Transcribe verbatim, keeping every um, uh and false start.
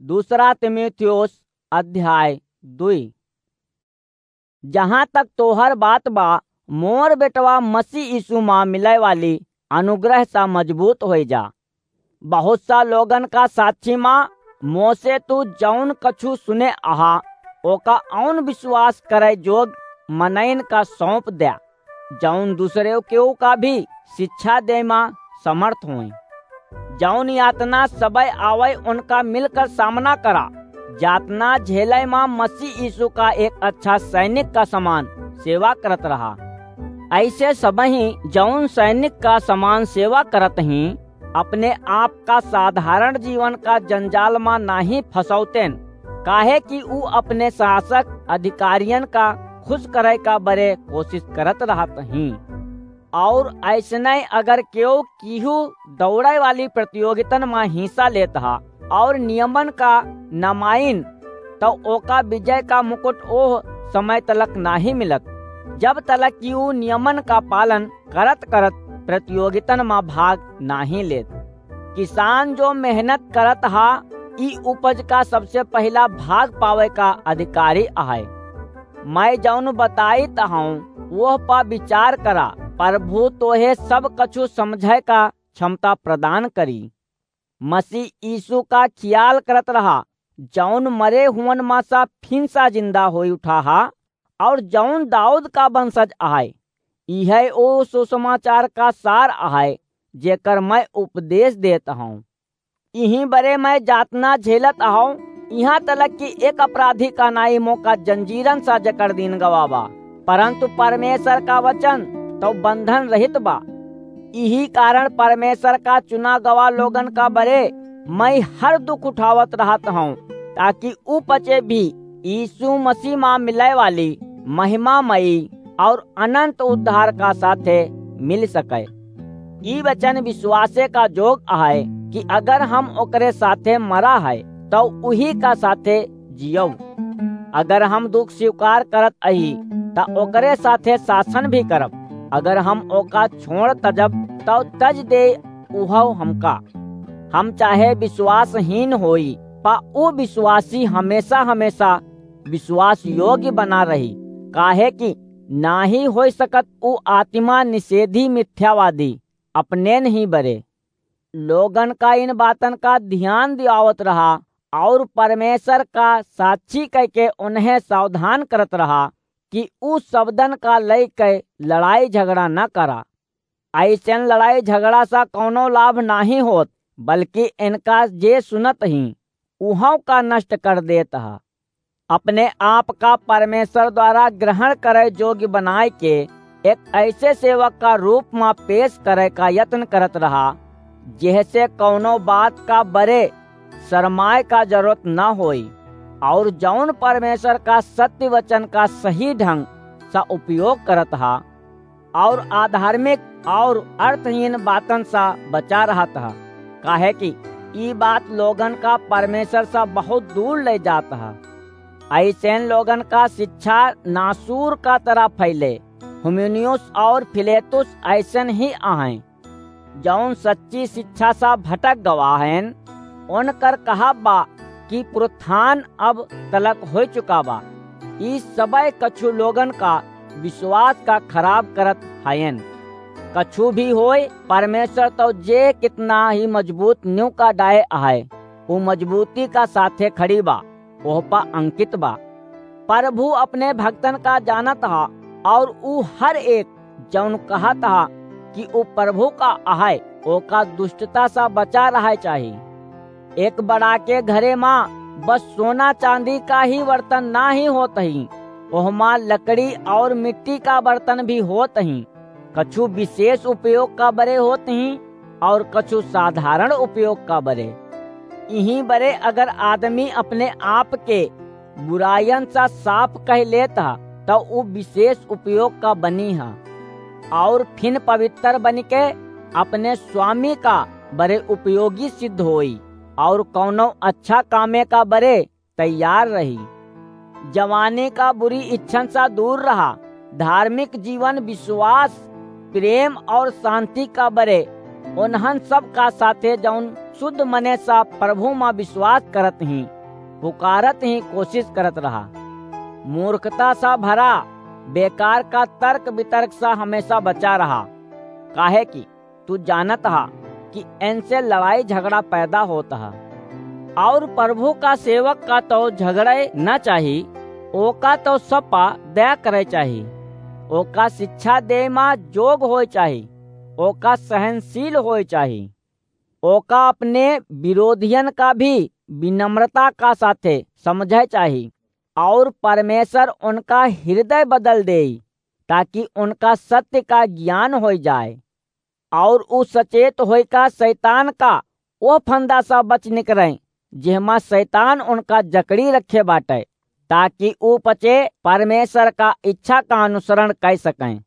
दूसरा तीमुथियुस अध्याय दुई। जहाँ तक तोहर बात बा, मोर बेटवा मसीह यीशु मा मिलै वाली अनुग्रह सा मजबूत होइ जा। बहुत सा लोगन का साक्षी मा मोसे तू जौन कछु सुने अहा, ओका अउन विश्वास करै जोग मनइन का सौंप द्या, जौन दूसरे केहू का भी शिक्षा दे मा समर्थ होई। जौन यातना सबै आवै, उनका मिलकर सामना करा। यातना झेलै मा मसीह यीशु का एक अच्छा सैनिक का समान सेवा करत रहा। ऐसे सबही जौन सैनिक का समान सेवा करत ही, अपने आप का साधारण जीवन का जंजाल मा नाही फंसौतेन, काहे कि ऊ अपने शासक अधिकारियन का खुश करै का बरे कोशिश करत रहत ही। और ऐसने अगर केहू किहू दौड़ै वाली प्रतियोगितन मा हिस्सा लेत हा और नियमन का न माइन, तो ओका विजय का मुकुट ओह समय तलक नाही मिलत, जब तलक कि ऊ नियमन का पालन करत करत प्रतियोगितन मा भाग नाही लेत। किसान जो मेहनत करत हा, ई उपज का सबसे पहिला भाग पावै का अधिकारी अहै। मैं जौन बताइत हौं, वोह पा विचार करा। प्रभु तोहे सब कछु समझै का क्षमता प्रदान करी। मसीह यीशु का खियाल करत रहा, जौन मरे हुवन मा सा फिन सा जिंदा होई उठा हा, और जौन दाऊद का वंशज अहै। इहै ओ सुसमाचार का सार अहै, जेकर मैं उपदेश देत हौं। इही बरे मैं जातना झेलत हौं, इहाँ तलक कि एक अपराधी का नाई मोका जंजीरन सा जकड़ दीन गवा बा, परंतु परमेश्वर का वचन तो बंधन रहित बा। इही कारण परमेश्वर का चुना गवा लोगन का बरे मैं हर दुख उठावत रहत हौं, ताकि ऊ पचे भी यीशु मसीह मा मिलै वाली महिमामयी और अनंत उद्धार का साथे मिल सकै। ई वचन विश्वासे का जोग अहै कि अगर हम ओकरे साथे मरा है, तो उही का साथे जियौ। अगर हम दुख स्वीकार करत अही, त ओकरे साथे शासन भी करब। अगर हम ओका छोड़ तजब, तो तज दे उहौ हमका। हम चाहे विश्वासहीन होई, पा ऊ विश्वासी हमेशा हमेशा विश्वास योग्य बना रही, काहे कि नाही होई सकत ऊ आत्मा निषेधी मिथ्यावादी अपने नहीं बरे। लोगन का इन बातन का ध्यान दियावत रहा और परमेश्वर का साक्षी कह के उन्हें सावधान करत रहा कि ऊ शब्दन का लई के लड़ाई झगड़ा न करा। ऐसन लड़ाई झगड़ा सा कौनो लाभ नाही होत, बल्कि इनका जे सुनत ही, उहौ का नष्ट कर देत हा। अपने आप का परमेश्वर द्वारा ग्रहण करे जोग्य बनाए के एक ऐसे सेवक का रूप मा पेश करे का यत्न करत रहा, जेहसे कौनो बात का बरे शरमाए का जरूरत न होई, और जौन परमेश्वर का सत्य वचन का सही ढंग सा उपयोग करत हा, और अधार्मिक और अर्थहीन बातन सा बचा रहत हा, काहे कि ई बात लोगन का परमेश्वर सा बहुत दूर ले जात हा। ऐसन लोगन का शिक्षा नासूर का तरह फैले। हुमिनियुस और फिलेतुस ऐसन ही अहैं, जौन सच्ची शिक्षा सा भटक गवा हयन। उनकर कहा बा कि पुरुत्थान अब तलक हो चुका बा। ई सबय कछु लोगन का विश्वास का खराब करत हयन। कछु भी होय, परमेश्वर तो जे कितना ही मजबूत न्यू का डाए अहै, ऊ मजबूती का साथे खड़ी बा, ओह पा अंकित बा। प्रभु अपने भक्तन का जानत हा, और ऊ हर एक जौन कहत हा कि ऊ प्रभु का अहै, ओका दुष्टता सा बचा रहै चाही। एक बड़ा के घरे मा बस सोना चांदी का ही बर्तन ना ही होत ही, ओहमा लकड़ी और मिट्टी का बर्तन भी होत ही। कछु विशेष उपयोग का बरे होत ही और कछु साधारण उपयोग का बरे। इही बरे अगर आदमी अपने आप के बुरायन सा साफ कह लेत हा, तो ऊ विशेष उपयोग का बनी हा, और फिन पवित्र बन के अपने स्वामी का बरे उपयोगी सिद्ध होई, और कौनो अच्छा कामे का बरे तैयार रही। जवानी का बुरी इच्छन सा दूर रहा। धार्मिक जीवन विश्वास, प्रेम और शांति का बरे उन्हन सब का साथे जौन सुध मने सा परभू मा बिसवास करत हीं, पुकारत हीं कोसिस करत रहा। मूर्खता सा भरा, बेकार का तर्क बितर्क सा हमेसा बचा रहा, काहे कि तू जानत हा कि एनसे लड़ाई झगड़ा पैदा होत हा। अउर परभू का सेवक का तौ झगड़ै न चाही, ओका तौ सपा दया करै चाही, ओका सिच्छा देय मा जोग होय चाही, ओका सहनसील होय चाही। ओका अपने बिरोधियन का भी बिनम्रता का साथे समझै चाही, अउर परमेसर ओनका हिरदय बदल देई, ताकि ओनका सत्य का गियान होय जाय, अउर ऊ सचेत होय का सैतान का ओह फंदा सा बच निकरैं, जेहमा सैतान ओनका जकड़ी रखे बाटै, ताकि ऊ पचे परमेसर का इच्छा का अनुसरण कै सकैं।